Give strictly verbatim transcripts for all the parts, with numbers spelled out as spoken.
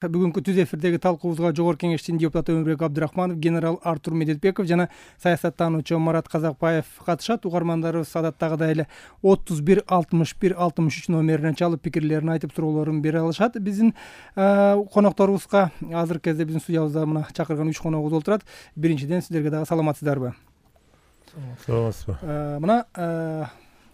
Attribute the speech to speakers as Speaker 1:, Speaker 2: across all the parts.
Speaker 1: Бүгүнкү түз эфирдеги талкуубузга Жогорку Кеңештин депутаты Өмүрбек Абдырахманов, генерал Артур Медетбеков жана саясаттануучу Марат Казакбаев катышат. Угармандарыбыз адаттагыдай эле отуз бир алтымыш бир алтымыш үч номерине чалып пикирлерин айтып суроолорун бере алышат. Биздин конокторубузга азыркы кезде биздин студиябызда мына чакырган үч коногубуз отурат. Биринчиден сиздерге дагы саламатсыздарбы?
Speaker 2: Саламатсызбы.
Speaker 1: Мына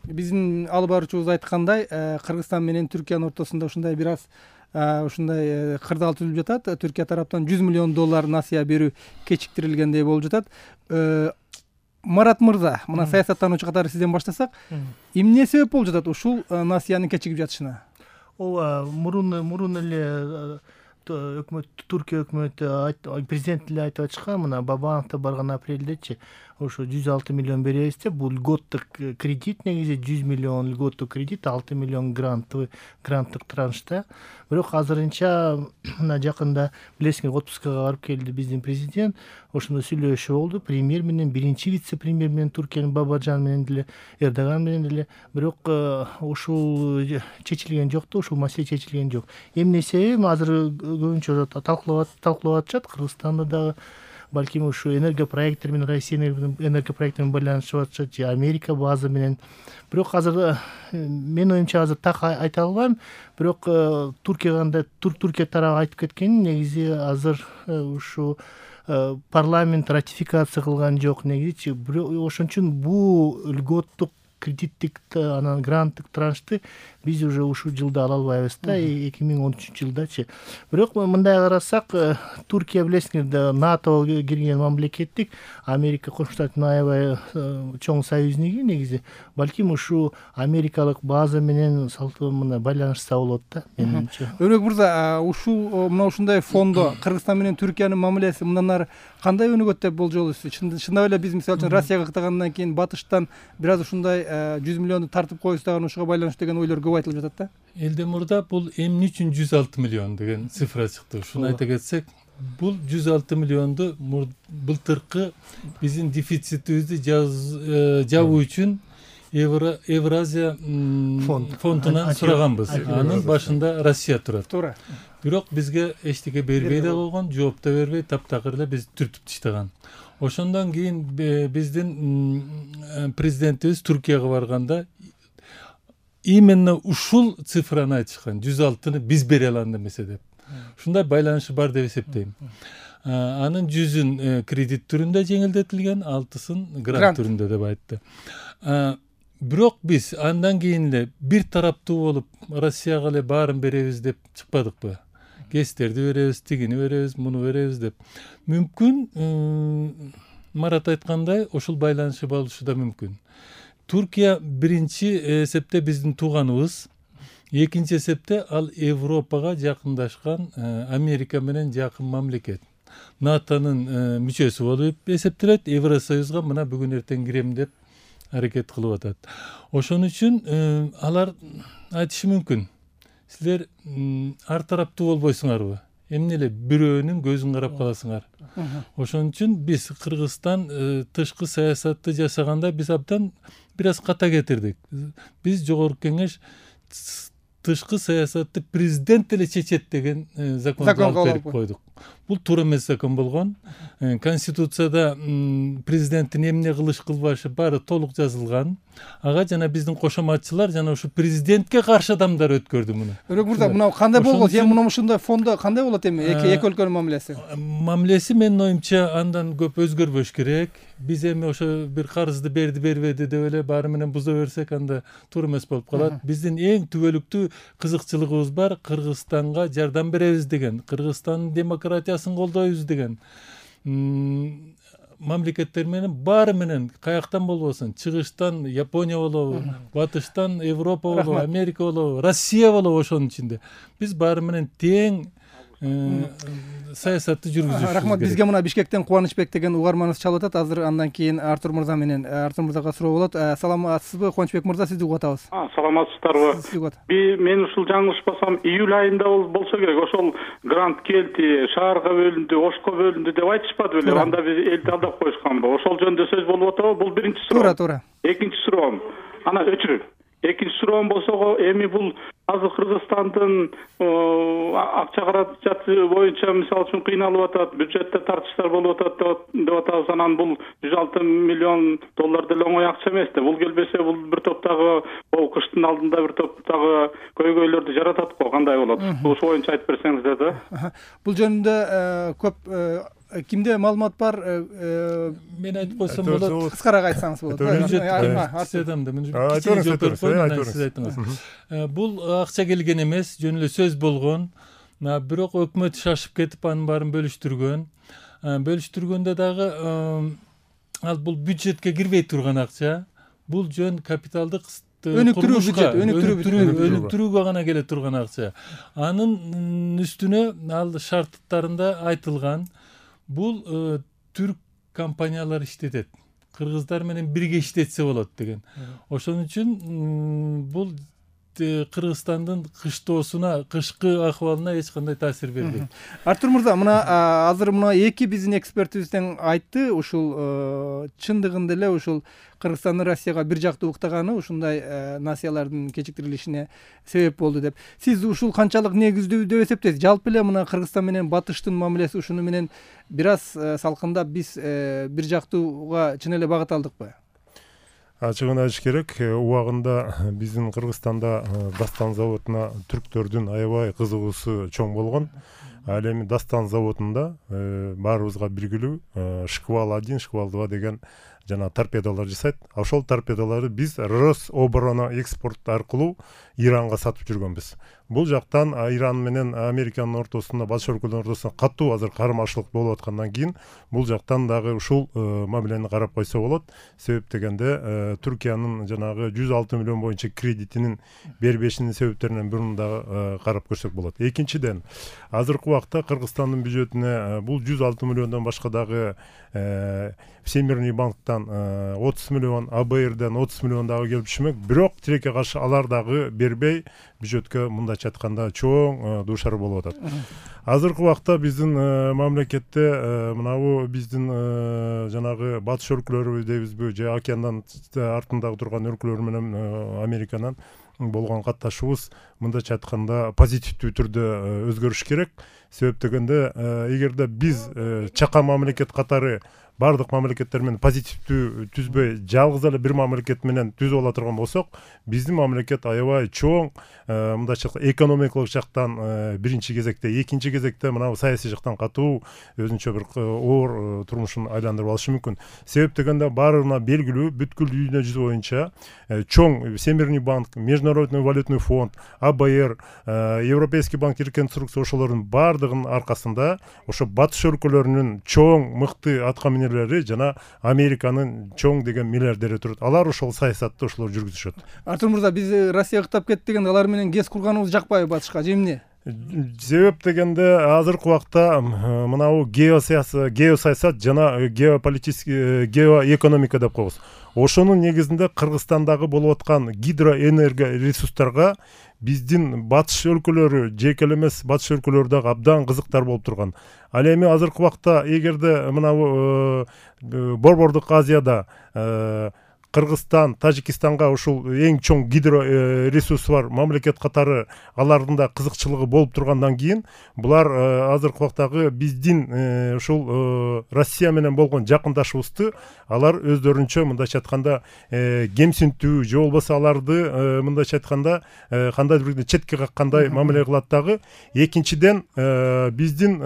Speaker 1: биздин алып баруучубуз айткандай, Кыргызстан менен Түркиянын ортосунда ушундай бир аз ушундай кырдаал түзүлүп жатат. Түркия тараптан жүз миллион доллар насыя берүү кечиктирилгендей болуп жатат. Марат мырза, мына саясаттануучу катары сизден баштасак, эмне себеп болуп жатат ушул насыянын кечигип жатышына?
Speaker 3: Ооба, мурун мурун эле өкмөт, Түркия өкмөтү, президент эле айтып атышкан, мына Бабановдо барган апрелдечи ошо жүз алты миллион беребиз деп, бул льготтук кредит, негизи жүз миллион льготтук кредит, алты миллион гранттуу гранттык траншта. Бирок азырынча мына жакында билесиңер, отпускага барып келди биздин президент. Ошондо сүйлөшүү болду премьер менен, биринчи вице-премьер менен, Түркиянын Бабажан менен деле, Эрдоган менен деле. Бирок ушул чечилген жок да, ушул маселе чечилген жок. Эмне себеби азыр көбүнчө талкуулап талкуулап атышат. Кыргызстанда дагы балким ушу энергопроекттер менен, Россия энергопроекти менен байланышып атышат, же Америка база менен. Бирок азыр мен оюмча азыр так айта албайм. Бирок Туркияга Туркия тарабы айтып кеткен, негизи азыр ушу парламент ратификация кылган жок негизи. Ошон үчүн бул льготтук кредиттик анан гранттык траншты биз уже ушул жылда ала албайбыз да, эки миң он үчүнчү жылдачы. Бирок мындай карасак, Туркия билесиңер, НАТОго кирген мамлекеттик, Америка Коңшу Штаттын аябай чоң союзники негизи. Балким ушу америкалык база менен салтуу мына байланышса болот да, менимче.
Speaker 1: Өрөк мырза, ушул мына ушундай фондо Кыргызстан менен Түркиянын мамилеси мындан ары кандай өнүгөт деп болжолуйсуз? Чындап эле биз мисалы үчүн Россияга кыттагандан кийин батыштан бир аз ушундай жүз миллионду тартып коюбуз даган ушуга байланыштуу деген ойлор көп айтылып жатат да.
Speaker 2: Элден мурда бул эмне үчүн жүз алты миллион деген цифра чыкты. Ушуну айта кетсек, бул жүз алты миллионду былтыркы биздин дефицитибизди жабуу үчүн Евразия фондунан сураганбыз. Анын башында Россия турат.
Speaker 1: Туура.
Speaker 2: Бирок бизге эчтеке бербей да койгон, жооп да бербей, таптакыр эле бизди түртүп таштаган. Ошондон кийин биздин президентибиз Түркияга барганда именно ушул цифраны айтышкан, жүз алтыны биз бере алам эмесе деп. Ушундай байланышы бар деп эсептейм. Анын жүзүн кредит түрүндө жеңилдетилген, алтысын грант түрүндө деп айтты. Бирок биз андан кийин эле бир тараптуу болуп Россияга эле баарын беребиз деп чыкпадыкпы? Кестерди беребиз, тигини беребиз, муну беребиз деп. Мүмкүн Марат айткандай ошол байланышы болушу да мүмкүн. Туркия биринчи эсепте биздин тууганыбыз, экинчи эсепте ал Европага жакындашкан, Америка менен жакын мамлекет. НАТОнун мүчөсү болуп эсептелет, Евросоюзга мына бүгүн эртең кирем деп аракет кылып атат. Ошон үчүн алар айтышы мүмкүн. Силер ар тараптуу болбойсуңарбы? Эмне эле бирөөнүн көзүн карап каласыңар. Ошон үчүн биз Кыргызстан тышкы саясатты жасаганда биз абдан бир аз ката кетирдик. Биз Жогорку Кеңеш тышкы саясатты президент эле чечет деген законду алып берип койдук. Бул туура эмес закон болгон. Конституцияда президенттин эмне кылыш кылбашы баары толук жазылган. Ага жана биздин кошоматчылар жана ушу президентке каршы адамдар өткөрдү муну.
Speaker 1: Өрөк мырза, мына кандай болгон? Сен мына ушундай фондо кандай болот эми? Эки өлкөнүн мамилеси.
Speaker 2: Мамилеси менин оюмча андан көп өзгөрбөш керек. Биз эми ошо бир карызды берди, бербеди деп эле баары менен буза берсек, анда туура эмес болуп калат. Биздин эң түбөлүктүү кызыкчылыгыбыз бар, Кыргызстанга жардам беребиз деген, Кыргызстандын демократиясын колдойбуз деген. Мамлекеттер менен баары менен каяктан болбосун, чыгыштан Япония болобу, батыштан Европа болобу, Америка болобу, Россия болобу, ошонун ичинде биз баары менен тең саясатты жүргүзүш керек.
Speaker 1: Рахмат. Бизге мына Бишкектен Кубанычбек деген угарманыбыз чалып атат. Азыр андан кийин Артур мырза менен Артур мырзага суроо болот. Саламатсызбы, Кубанычбек мырза, сизди угуп атабыз.
Speaker 4: Саламатсыздарбы? Мен ушул жаңылышпасам июль айында болсо керек, ошол грант келди, шаарга бөлүндү, Ошко бөлүндү деп айтышпады беле? Анда биз элди алдап коюшканбы? Ошол жөнүндө сөз болуп атабы? Бул биринчи суроо.
Speaker 1: Туура, туура.
Speaker 4: Экинчи суроом. Ана өчүрүп. Экинчи суроом болсо, эми бул азыр Кыргызстандын акча каражаты боюнча мисалы үчүн кыйналып атат, бюджетте тартыштар болуп атат деп атабыз. Анан бул жүз алты миллион доллар деле оңой акча эмес да. Бул келбесе бул бир топтогу бул кыштын алдында бир топтогу көйгөйлөрдү жаратат го. Кандай болот? Ушул боюнча айтып берсеңиздер да.
Speaker 1: Бул жөнүндө көп кимде маалымат бар?
Speaker 2: Мен айтып койсом болот.
Speaker 1: Кыскараак айтсаңыз
Speaker 2: болот. Бул акча келген эмес, жөн эле сөз болгон. Бирок өкмөт шашып кетип анын баарын бөлүштүргөн. Бөлүштүргөндө дагы ал бул бюджетке кирбей турган акча. Бул жөн капиталдык
Speaker 1: өнүктүрүү бюджет,
Speaker 2: өнүктүрүүгө гана келе турган акча. Анын үстүнө ал шарттарында айтылган бул түрк компаниялар иштетет. Кыргыздар менен бирге иштетсе болот деген. Ошон үчүн бул Кыргызстандын кыштоосуна, кышкы акыбалына эч кандай таасир бербейт.
Speaker 1: Артур мырза, мына азыр мына эки биздин экспертибизден айтты, ушул чындыгында эле ушул Кыргызстандын Россияга бир жактуу уктаганы ушундай насыялардын кечиктирилишине себеп болду деп. Сиз ушул канчалык негиздүү деп эсептейсиз? Жалпы эле мына Кыргызстан менен Батыштын мамилеси ушуну менен бир аз салкындап биз бир жактууга чын эле багыт алдыкпы?
Speaker 5: Ачыгын айтыш керек, убагында биздин Кыргызстанда Дастан заводуна түрктөрдүн аябай кызыгуусу чоң болгон. Ал эми Дастан заводунда баарыбызга белгилүү Шквал один, Шквал два деген жана торпедалар жасайт. Ошол торпедаларды биз Рособорона экспорт аркылуу Иранга сатып жүргөнбүз. Бул жактан Иран менен Американын ортосунда, Батыш өлкөлөрүнүн ортосунда катуу азыр кармашылык болуп аткандан кийин бул жактан дагы ушул мамилени карап койсо болот. Себеп дегенде Түркиянын жанагы жүз алты миллион боюнча кредитинин бербешинин себептеринен бирин дагы карап көрсөк болот. Экинчиден, азыркы убакта Кыргызстандын бюджетине бул жүз алты миллиондон башка дагы Всемирный банктан отуз миллион, А Б Рден отуз миллион дагы келип түшмөк. Бирок тилекке каршы алар дагы бербей бюджетке мындайча айтканда чоң дуушар болуп атат. Азыркы убакта биздин мамлекетте мынабу биздин жанагы батыш өлкөлөрү дейбизби, же океандан артындагы турган өлкөлөр менен Американын болгон катташуубуз мындайча айтканда позитивдүү түрдө өзгөрүш керек. Себеп дегенде эгерде биз чака мамлекет катары бардык мамлекеттер менен позитивдүү түзбөй, жалгыз эле бир мамлекет менен түзүп ала турган болсок, биздин мамлекет аябай чоң мындайча экономикалык жактан биринчи кезекте, экинчи кезекте мына саясий жактан катуу өзүнчө бир оор турмушун айландырып алышы мүмкүн. Себеп дегенде баарына белгилүү, бүткүл дүйнө жүзү боюнча чоң Всемирный банк, Международный валютный фонд, А Б Р, Европейский банк реконструкция ошолордун бардыгынын аркасында ошо батыш өлкөлөрүнүн чоң мыкты аткаминерлери жана Американын чоң деген миллиардери турат. Алар ошол саясатты ошолор жүргүзүшөт.
Speaker 1: Артур мырза, биз Россияга кыттап кетти деген алар менен кез курганыбыз жакпайбы батышка, же эмне?
Speaker 5: Себеп дегенде азыркы убакта мынабу геосаясат, геосаясат жана геополитический геоэкономика деп коебуз. Ошонун негизинде Кыргызстандагы болуп аткан гидроэнергия ресурстарга биздин батыш өлкөлөрү, жеке эмес батыш өлкөлөрү дагы абдан кызыктар болуп турган. Ал эми азыркы убакта эгерде мынабу Борбордук Азияда Кыргызстан, Тажикстанга ушул эң чоң гидро ресурсы бар мамлекет катары алардын да кызыкчылыгы болуп тургандан кийин булар азыркы убактагы биздин ушул Россия менен болгон жакындашуубузду алар өздөрүнчө мындайча айтканда кемсинтүү же болбосо аларды мындайча айтканда кандайдыр бир четке каккандай мамиле кылат дагы. Экинчиден, биздин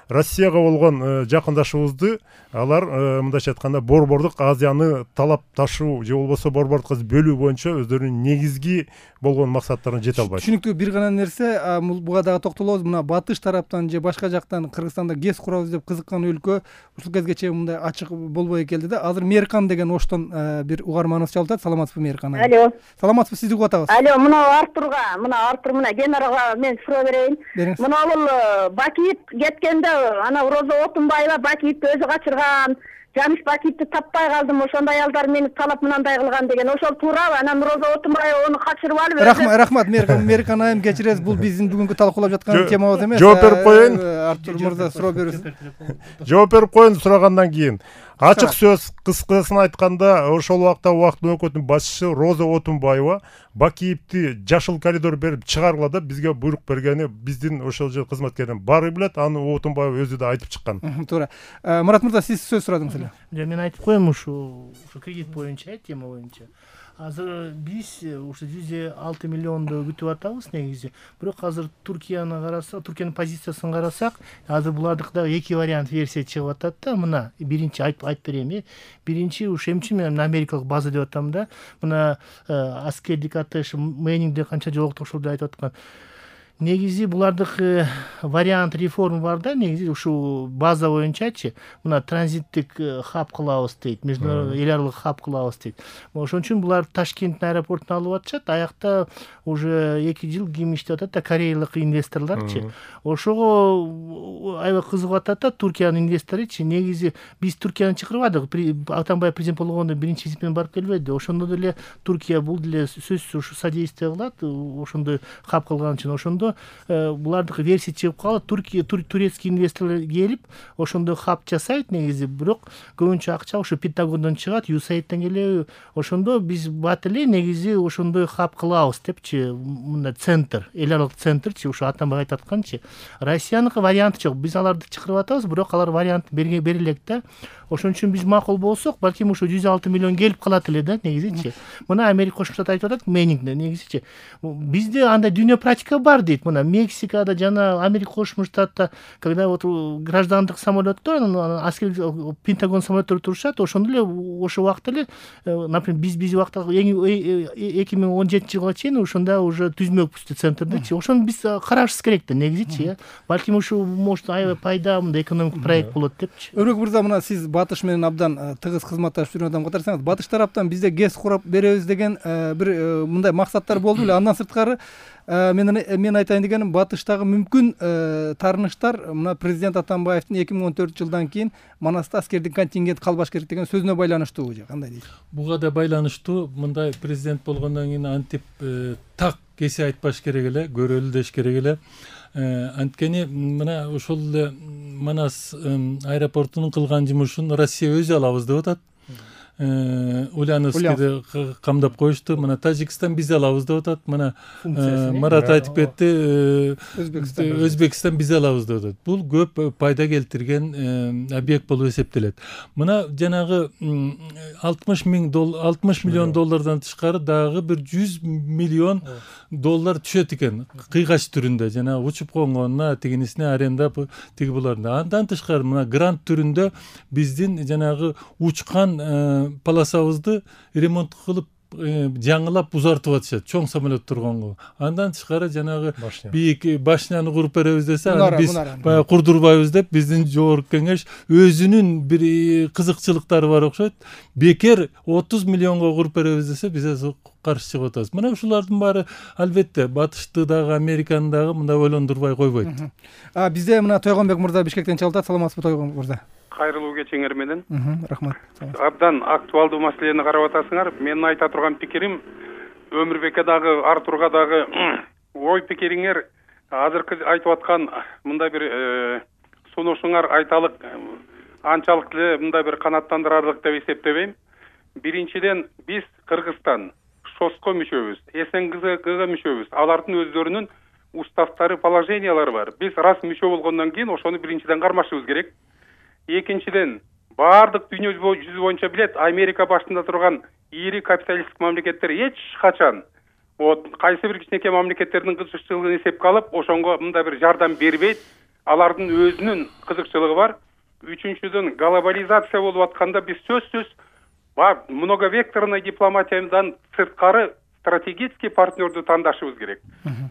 Speaker 5: Россияга болгон жакындашуубузду алар мындайча айтканда Борбордук Азияны талап ташуу же болбосо Борбордук Азия бөлүү боюнча өздөрүнүн негизги болгон максаттарына жете албайт.
Speaker 1: Түшүнүктүү. Бир гана нерсе, буга дагы токтолобуз. Мына батыш тараптан же башка жактан Кыргызстанда гез курабыз деп кызыккан өлкө ушул кезге чейин мындай ачык болбой келди да. Азыр Мээркан деген Оштон бир угарманыбыз чалып, саламатсызбы Мээркан?
Speaker 6: Алло.
Speaker 1: Саламатсызбы, сизди угуп атабыз.
Speaker 6: Алло, мына Артурга, мына Артур мына генералга мен суроо берейин. Мына бул Бакиев кеткенде ана Роза Отунбаева Бакиевди өзү качырган, Жамиш Бакиевди таппай калдым, ошондой аялдар мени талап мынандай кылган деген. Ошол туурабы? Анан Роза Отунбаева ону качырып алып.
Speaker 1: Рахмат, рахмат Мээркан, Мээркан айым, кечиресиз, бул биздин бүгүнкү талкуулап жаткан темабыз эмес.
Speaker 5: Жооп берип коеюн.
Speaker 1: Артур мырза суроо берсин.
Speaker 5: Жооп берип коеюн сурагандан кийин. ачык сөз кыскасын айтканда ошол убакта убакыттын өкмөтүнүн башчысы Роза Отунбаева Бакиевди жашыл коридор берип чыгаргыла деп бизге буйрук бергени биздин ошол жер кызматкеринин баары билет. Аны Отунбаева өзү да айтып чыккан.
Speaker 1: Туура. Мурат мырза, сиз сөз сурадыңыз эле.
Speaker 3: Мен айтып коем ушу кредит боюнча, тема боюнча. Азыр биз ушу жүз алты миллионду күтүп атабыз негизи. Бирок азыр Туркияны карасак, Туркиянын позициясын карасак, азыр булардыкта эки вариант версия чыгып атат да. Мына биринчи айтып айтып берейин. Биринчи ушу эмчи мен америкалык база деп атам да. Мына аскердик атташ Мэнингде канча жолуктук ошолду айтып аткан. Негизи булардык вариант реформа бар да, негизи ушу база боюнчачы, мына транзиттик хаб кылабыз дейт, международный эл аралык хаб кылабыз дейт. Ошон үчүн булар Ташкенттин аэропортуна алып атышат, аякта уже эки жыл ким иштеп атат да, кореялык инвесторлорчу. Ошого аябай кызыгып атат да Туркиянын инвесторучу. Негизи биз Туркияны чакырбадык, Атамбаев президент болгондо биринчи визит менен барып келбеди. Ошондо деле Туркия бул деле сөзсүз ушу содействие кылат, ошондой хаб кылган үчүн. Ошондо булардыкы версия чыгып калат, Туркия турецкий инвесторлор келип ошондой хаб жасайт негизи, бирок көбүнчө акча ошо Пентагондон чыгат, ю эс эй ден келеби. Ошондо биз бат эле негизи ошондой хаб кылабыз депчи, мындай центр, эл аралык центрчи, ушу Атамбаев айтып атканчы. Россияныкы варианты жок. Биз аларды чакырып атабыз, бирок алар вариант бере элек да. Ошон үчүн биз макул болсок, балким ушу жүз алты миллион келип калат эле да негизичи. Мына Америка Кошмо Штат айтып атат, Мэнингде негизичи. Бизде андай дүйнө практика бар дейт. Мына Мексикада жана Америка Кошмо Штатта, когда вот граждандык самолеттор, аскер Пентагон самолеттор турушат, ошондо эле ошол убакта эле, например, биз биз убакта эки миң он жетинчи жылга чейин ошондо уже түзмөкпүз центрдечи. Ошону биз карашыбыз керек да негизичи. Балким ушу может аябай пайда, мындай экономик проект болот депчи.
Speaker 1: Өрөк мырза, мына сиз Батыш менен абдан тыгыз кызматташып жүргөн адам катарсаңыз, Батыш тараптан бизде ГЭС курап беребиз деген бир мындай максаттар болду беле. Андан сырткары мен мен айтайын дегеним, Батыштагы мүмкүн таарыныштар мына президент Атамбаевдин эки миң он төртүнчү жылдан кийин Манаста аскердик контингент калбаш керек деген сөзүнө байланыштуу же кандай дейсиз?
Speaker 2: Буга да байланыштуу. Мындай президент болгондон кийин антип так кесе айтпаш керек эле, көрөлү деш керек эле. Анткени мына ошол эле Манас аэропортунун кылган жумушун Россия өзү алабыз деп атат. Ульяновскийди камдап коюшту. Мына Тажикстан биз алабыз деп атат. Мына Марат айтып кетти, Өзбекстан биз алабыз деп атат. Бул көп пайда келтирген объект болуп эсептелет. Мына жанагы алтымыш миллион доллардан тышкары дагы бир жүз миллион доллар түшөт экен, кыйгач түрүндө, жана учуп конгонуна, тигинисине арендап, тиги буларда. Андан тышкары мына грант түрүндө биздин жанагы учкан полосабызды ремонт кылып, жаңылап узартып атышат, чоң самолет турганго. Андан тышкары жанагы бийик башняны куруп беребиз десе, аны биз баягы курдурбайбыз деп, биздин жогорку кеңеш өзүнүн бир кызыкчылыктары бар окшойт. Бекер отуз миллионго куруп беребиз десе, биз каршы чыгып атабыз. Мына ушулардын баары албетте Батышты дагы, Американы дагы мындай ойлондурбай койбойт.
Speaker 1: А бизде мына Тойгонбек мырза Бишкектен чалып атат. Саламатсызбы Тойгонбек мырза?
Speaker 4: Кайрылуу кечиңер менен.
Speaker 1: Рахмат.
Speaker 4: Абдан актуалдуу маселени карап атасыңар. Менин айта турган пикирим, Өмүрбекке дагы, Артурга дагы ой пикириңер азыркы айтып аткан мындай бир сунушуңар айталык анчалык эле мындай бир канааттандырарлык деп эсептебейм. Биринчиден, биз Кыргызстан ШОСко мүчөбүз, СНГга мүчөбүз. Алардын өздөрүнүн уставтары, положениялары бар. Биз раз мүчө болгондон кийин ошону биринчиден кармашыбыз керек. Экинчиден, баардык дүйнө жүзү боюнча билет, Америка башында турган ири капиталисттик мамлекеттер эч качан вот кайсы бир кичинекей мамлекеттердин кызыкчылыгын эсепке алып, ошонго мындай бир жардам бербейт. Алардын өзүнүн кызыкчылыгы бар. Үчүнчүдөн, глобализация болуп атканда биз сөзсүз многовекторный дипломатиядан сырткары стратегический партнерду тандашыбыз керек.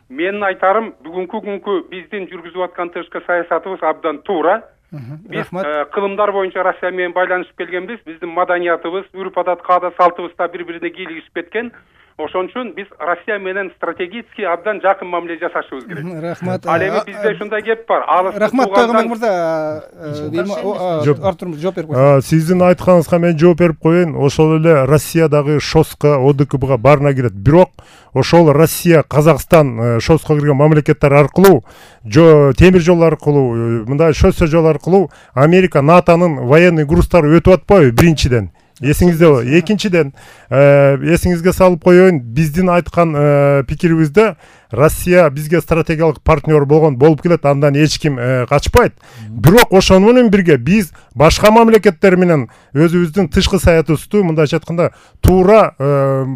Speaker 4: Менин айтарым, бүгүнкү күnkү биздин жүргүзүп аткан тышкы саясатыбыз абдан туура. Биз кылымдар боюнча Россия менен байланышып келгенбиз. Биздин маданиятыбыз, үрп-адат, каада, салтыбыз да бири-бирине кийлигишип кеткен.
Speaker 7: ошон үчүн биз Россия менен стратегически абдан жакын мамиле жасашыбыз керек.
Speaker 1: Рахмат.
Speaker 7: Ал эми бизде ушундай кеп бар.
Speaker 1: Рахмат Тойгонбек мырза. Артур жооп берип койсуң.
Speaker 5: Сиздин айтканыңызга мен жооп берип коеюн. Ошол эле Россиядагы ШОСко, ОДКБга баарына кирет. Бирок ошол Россия, Казакстан ШОСко кирген мамлекеттер аркылуу, темир жол аркылуу, мындай шоссе жол аркылуу Америка, НАТОнун военный грузтары өтүп атпайбы биринчиден? Эсиңизде, экинчиден, эсиңизге салып коеюн, биздин айткан пикирибизде Россия бизге стратегиялык партнер болгон болуп келет, андан эч ким качпайт. Бирок ошону менен бирге биз башка мамлекеттер менен өзүбүздүн тышкы саятыбызды мындайча айтканда туура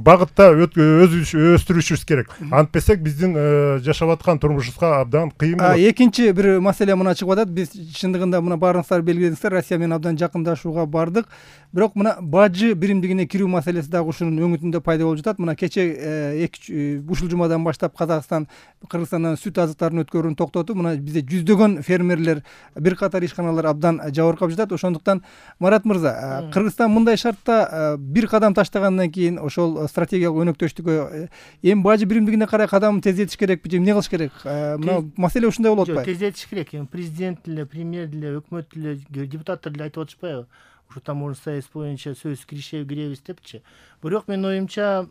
Speaker 5: багытта өстүрүшүбүз керек. Антпесек биздин жашап аткан турмушубузга абдан кыйын болот.
Speaker 1: Экинчи бир маселе мына чыгып атат. Биз чындыгында мына баарыңыздар белгиледиңиздер, Россия менен абдан жакындашууга бардык. Бирок мына бажы биримдигине кирүү маселеси дагы ушунун өңүтүндө пайда болуп жатат. Мына кече ушул жумадан баштап Казакстан Кыргызстандан сүт азыктарын өткөрүүнү токтотуп, мына бизде жүздөгөн фермерлер, бир катар ишканалар абдан жабыркап жатат. Ошондуктан Марат мырза, Кыргызстан мындай шартта бир кадам таштагандан кийин ошол стратегиялык өнөктөштүккө эми бажы биримдигине карай кадамын тездетиш керекпи же эмне кылыш керек? Мына маселе ушундай болуп атпайбы?
Speaker 3: Жок, тездетиш керек. Эми президент деле, премьер деле, өкмөт деле, депутаттар деле айтып атышпайбы? Ушу таможня союз боюнча сөз киришеби киребиз депчи. Бирок менин оюмча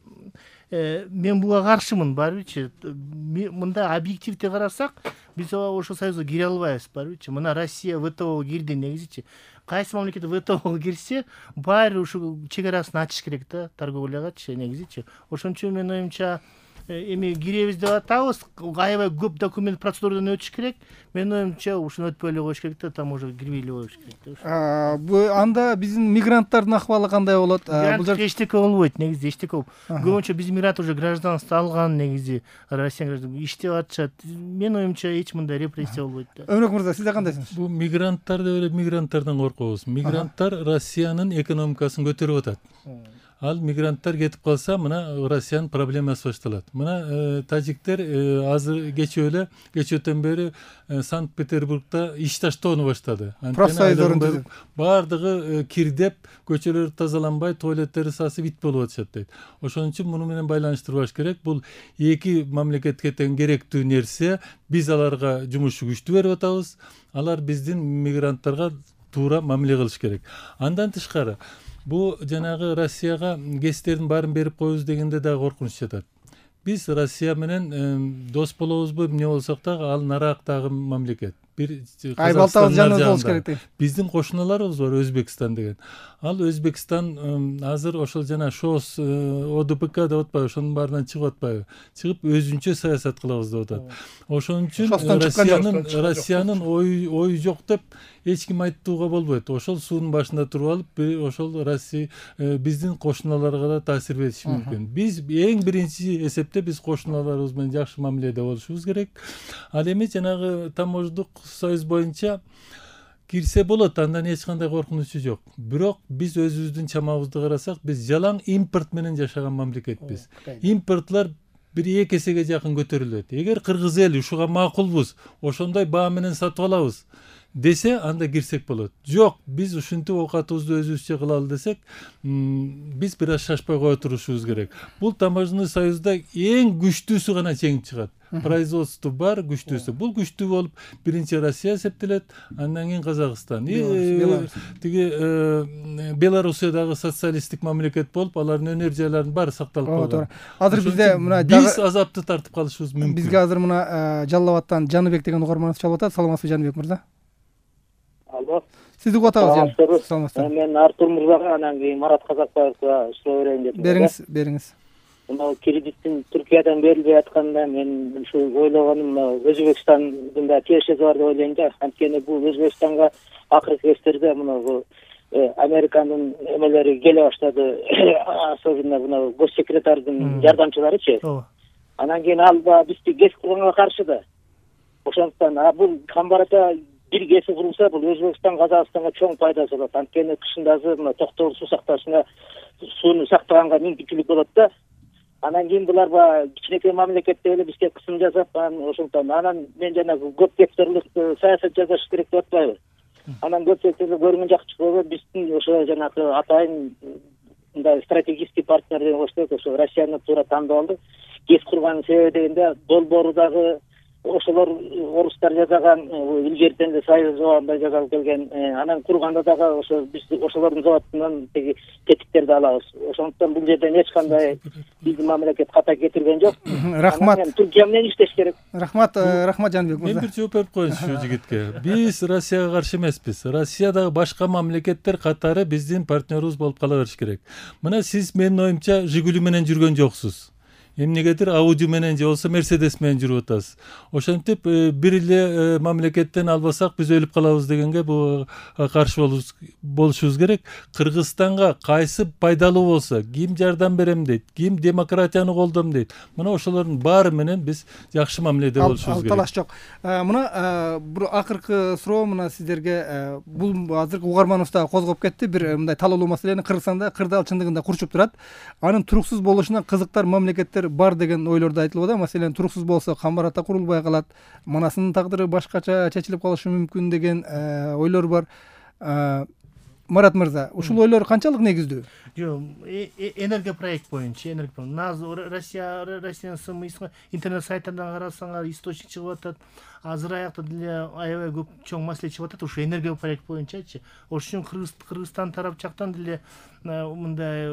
Speaker 3: мен буга каршымын, барбычы. Мында объективдүү карасак, биз ошол союзга кире албайбыз, барбычы. Мына Россия ВТОго кирди негизичи. Кайсы мамлекет ВТОго кирсе, баары ушу чек арасын ачыш керек да, торговлягачы негизичи. Ошон үчүн менин оюмча эми киребиз деп атабыз, аябай көп документ процедурадан өтүш керек. Менин оюмча ушуну өтпөй эле коюш керек да, таможняга кирбей эле коюш керек да.
Speaker 1: Бул анда биздин мигранттардын акыбалы кандай болот?
Speaker 3: Бул жерде эчтеке болбойт, негизи эчтеке болбойт. Көбүнчө биздин мигрант уже гражданство алган, негизи Россия гражданство иштеп атышат. Менин оюмча эч мындай репрессия болбойт да.
Speaker 1: Өмүрөк мырза, сиз кандайсыңыз?
Speaker 2: Бул мигранттар деп эле мигранттардан коркобуз. Мигранттар Россиянын экономикасын көтөрүп атат. Ал мигранттар кетип калса, мына Россиянын проблемасы башталат. Мына тажиктер азыр кечээ эле, кечөөтөн бери Санкт-Петербургда иш таштоону баштады.
Speaker 1: Профсоюздордун
Speaker 2: баардыгы кирдеп, көчөлөр тазаланбай, туалеттери сасып ит болуп атышат дейт. Ошон үчүн муну менен байланыштырбаш керек. Бул эки мамлекетке тең керектүү нерсе. Биз аларга жумуш күчтү берип атабыз. Алар биздин мигранттарга туура мамиле кылыш керек. Андан тышкары бу жанагы Россияга кестердин баарын берип коебуз дегенде дагы коркунуч жатат. Биз Россия менен дос болобузбу, эмне болсок дагы ал нарактагы мамлекет. Бир
Speaker 1: Казакстан жаныбыз болуш керек.
Speaker 2: Биздин кошуналарыбыз бар, Өзбекстан деген. Ал Өзбекстан азыр ошол жана ШОС, ОДПК деп атпайбы, ошонун баарынан чыгып атпайбы? Чыгып өзүнчө саясат кылабыз деп атат. Ошон үчүн Россиянын Россиянын ою ою жок деп эч ким айтууга болбойт. Ошол суунун башында туруп алып, ошол Россия биздин кошуналарга да таасир бериши мүмкүн. Биз эң биринчи эсепте биз кошуналарыбыз менен жакшы мамиледе болушубуз керек. Ал эми жанагы тамождук союз боюнча кирсе болот, андан эч кандай коркунучу жок. Бирок биз өзүбүздүн чамабызды карасак, биз жалаң импорт менен жашаган мамлекетпиз. Импортлор бир эки эсеге жакын көтөрүлөт. Эгер кыргыз эл ушуга макулбуз, ошондой баа менен сатып алабыз десе, анда кирсек болот. Жок, биз ушинтип оокатыбызды өзүбүзчө кылалы десек, биз бир аз шашпай кое турушубуз керек. Бул таможенный союзда эң күчтүүсү гана чегип чыгат. Производство бар, күчтүүсү. Бул күчтүү болуп, биринчи Россия эсептелет, андан кийин Казакстан. Тиги Белоруссия дагы социалисттик мамлекет болуп, алардын өнөр жайларынын баары сакталып калган.
Speaker 1: Азыр бизде мына
Speaker 2: биз азапты тартып калышыбыз мүмкүн.
Speaker 1: Бизге азыр мына Жалал Абадтан Жаныбек деген угарманыбыз чалып атат. Саламатсызбы Жаныбек мырза?
Speaker 8: Алло.
Speaker 1: Сизди угатабыз. Саламатсызбы.
Speaker 8: Мен Артур мырзага, анан кийин Марат Казакбаевга суроо берейин деп.
Speaker 1: Бериңиз, бериңиз.
Speaker 8: Мына кредиттин Түркиядан берилбей атканда мен ушу ойлогонум, Өзбекстандын да тиешеси бар деп ойлойм да. Анткени бул Өзбекстанга акыркы кездерде мына Американын эмелери келе баштады, особенно мына госсекретардын жардамчыларычы. Анан кийин ал бизди гес кылганга каршы да. Ошондуктан бул камбарата бир геси курулса, бул Өзбекстан, Казакстанга чоң пайдасы болот. Анткени кышында мына токтогул суу сакташына, сууну сактаганга мүмкүнчүлүк болот да. Анан кийин булар кичинекей мамлекетте эле бизге кысым жасап, ошондон анан мен жана көп гектарлык саясат жасаш керек деп атпайбы. Анан көп гектарлык көрүнгөн жакчы болуп, биздин ошо жанагы атайын мындай стратегический партнер деген коштойт, ошо Россияны туура тандап алды. КЕС курганын себеби дегенде долбоордагы ошолор орустар жасаган, илгертен эле Союз убагында жасалып келген, анан курганда дагы ошо биз ошолордун заводунан тиги тетиктерди алабыз. Ошондуктан бул жерден эч кандай биздин мамлекет ката кетирген жок.
Speaker 1: Рахмат.
Speaker 8: Түркия менен иштеш керек.
Speaker 1: Рахмат, рахмат Жанбек мырза.
Speaker 2: Мен бир жооп берип коеюнчу ушул жигитке. Биз Россияга каршы эмеспиз. Россиядагы башка мамлекеттер катары биздин партнерубуз болуп кала бериш керек. Мына сиз менин оюмча Жигули менен жүргөн жоксуз. Эмнегедир Audi менен же болсо Mercedes менен жүрүп атасыз. Ошентип бир эле мамлекеттен албасак биз өлүп калабыз дегенге бул каршы болушубуз керек. Кыргызстанга кайсы пайдалуу болсо, ким жардам берем дейт, ким демократияны колдойм дейт. Мына ошолордун баары менен биз жакшы мамиледе болушубуз керек.
Speaker 1: Ал талаш жок. Мына бир акыркы суроо мына сиздерге, бул азыркы угарманыбыз дагы козгоп кетти. Бир мындай талоолуу маселени Кыргызстанда кырдаал чындыгында курчуп турат. Анын туруксуз болушуна кызыктар мамлекеттер бар деген ойлорду айтылып атат. Маселен туруксуз болсо Камбар-Ата курулбай калат, Манастын тагдыры башкача чечилип калышы мүмкүн деген ойлор бар. Марат мырза, ушул ойлор канчалык негиздүү?
Speaker 3: Жок, энергия проект боюнча, энергия. Назыр Россия, Россиянын СМИ интернет сайттардан карасаңар источник чыгып атат. Азыр аякта деле аябай көп чоң маселе чыгып атат ушу энергия проект боюнчачы. Ошон үчүн Кыргызстан тарап жактан деле мындай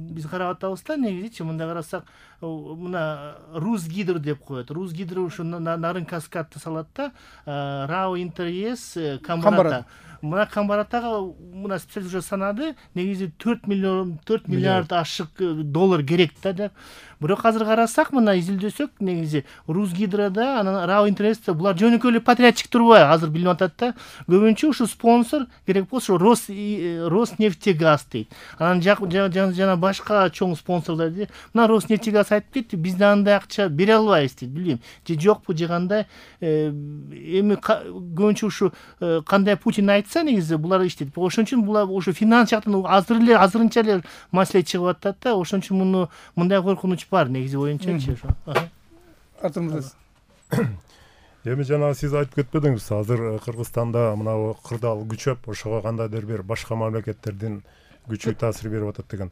Speaker 3: биз карап атабыз да, негизичи мындай карасак, мына Русгидро деп коет. Русгидро ушу нарын каскадты салат да, РАО Интерес, Камбар-Ата. Мына Камбар-Атага мына специалист уже санады, негизи төрт миллион төрт миллиард ашык доллар керек да деп. Бирок азыр карасак, мына изилдөсөк, негизи Русгидрода, анан РАО Интересте булар жөнөкөй эле патриотчик турбайбы, азыр билип атат да. Көбүнчө ушу спонсор керек болсо Рос Роснефтегаз дейт. Анан жана башка чоң спонсорлор дейт. Мына Роснефтегаз айтып кетти, биз да андай акча бере албайбыз дейт, билбейм. Же жокпу, же кандай. Эми көбүнчө ушу кандай Путин айтса, негизи булар иштейт. Ошон үчүн булар ушу финанс жактан азыр эле азырынча эле маселе чыгып атат да. Ошон үчүн муну мындай коркунуч бар, негизи боюнчачы ошо.
Speaker 1: Артур мырза.
Speaker 5: Эми жана сиз айтып кетпедиңиз, азыр Кыргызстанда мына кырдаал күчөп, ошого кандайдыр бир башка мамлекеттердин күчү таасир берип атат деген.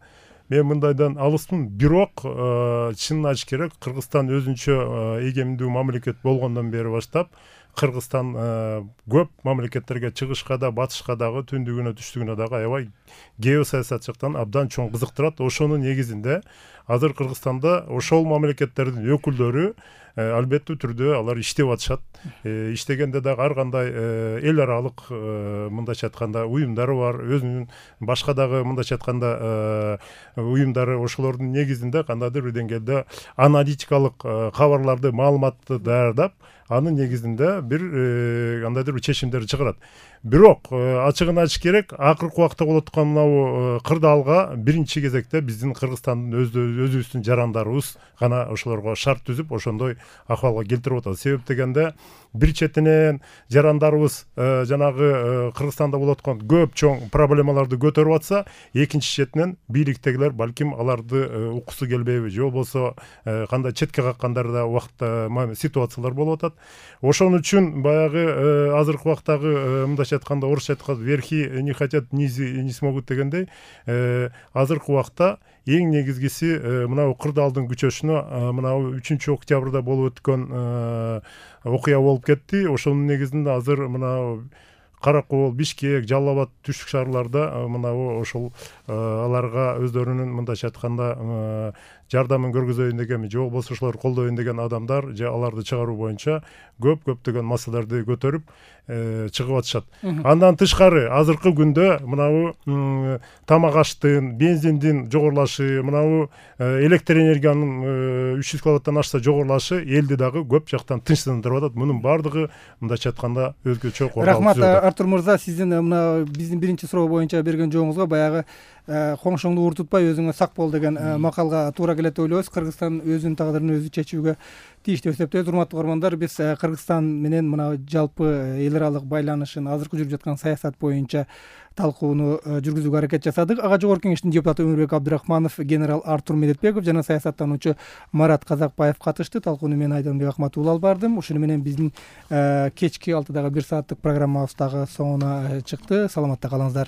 Speaker 5: Мен мындайдан алыспын, бирок чынын айтыш керек, Кыргызстан өзүнчө эгемдүү мамлекет болгондон бери баштап Кыргызстан көп мамлекеттерге чыгышка да, батышка дагы, түндүгүнө, түштүгүнө дагы аябай геосаясат жактан абдан чоң кызыктырат. Ошонун негизинде азыр Кыргызстанда ошол мамлекеттердин өкүлдөрү албеттүү түрдө алар иштеп атышат. Иштегенде дагы ар кандай эл аралык мындайча айтканда уюмдары бар, өзүнүн башка дагы мындайча айтканда уюмдары, ошолордун негизинде кандайдыр бир деңгээлде аналитикалык кабарларды, маалыматты даярдап, анын негизинде бир кандайдыр бир чечимдер чыгарат. Бирок ачыгын айтыш керек, акыркы убакта болуп аткан мынау кырдаалга биринчи кезекте биздин Кыргызстандын өзүбүздүн жарандарыбыз гана ошолорго шарт түзүп, ошондой акыбалга келтирип атат. Себеп дегенде бир четинен жарандарыбыз жанагы Кыргызстанда болуп аткан көп чоң проблемаларды көтөрүп атса, экинчи четинен бийликтегилер балким аларды уккусу келбейби, же болбосо кандай четке каккандар да убакта ситуациялар болуп атат. Ошон үчүн баягы азыркы убактагы мындайча айтканда, орусча айтканда верхи не хотят, низи не смогут дегендей, азыркы убакта эң негизгиси мынау кырдаалдын күчөшүнө мынау үчүнчү октябрда болуп өткөн окуя болуп кетти. Ошонун негизинде азыр мынау Каракол, Бишкек, Жалал Абад түштүк шаарларда мынау ошол аларга өздөрүнүн мындайча айтканда жардамын көргөзөйүн деген, же болбосо ошолор колдойюн деген адамдар, же аларды чыгаруу боюнча көп көптөгөн маселелерди көтөрүп чыгып атышат. Андан тышкары азыркы күндө мынау тамак аштын, бензиндин жогорулашы, мынау электр энергиянын үч жүз киловаттан ашса жогорулашы элди дагы көп жактан тынчсыздандырып атат. Мунун баардыгы мындайча айтканда өзгөчө коркунуч.
Speaker 1: Рахмат Артур мырза, сиздин мына биздин биринчи суроо боюнча берген жооңузга баягы коңшоңду ууртутпай өзүңө сак бол деген макалга туура келет деп ойлойбуз. Кыргызстан өзүнүн тагдырын өзү чечүүгө тийиштүү деп эсептейбиз. Урматтуу көрөрмандар, биз Кыргызстан менен мына жалпы эл аралык байланышын, азыркы жүрүп жаткан саясат боюнча талкууну жүргүзүүгө аракет жасадык. Ага Жогорку Кеңештин депутаты Өмүрбек Абдрахманов, генерал Артур Медетбеков жана саясаттануучу Марат Казакбаев катышты. Талкууну мен Айданбек Акматулла алып бардым. Ушуну менен биздин кечки алтыдагы бир сааттык программабыз дагы соңуна чыкты. Саламатта калыңыздар.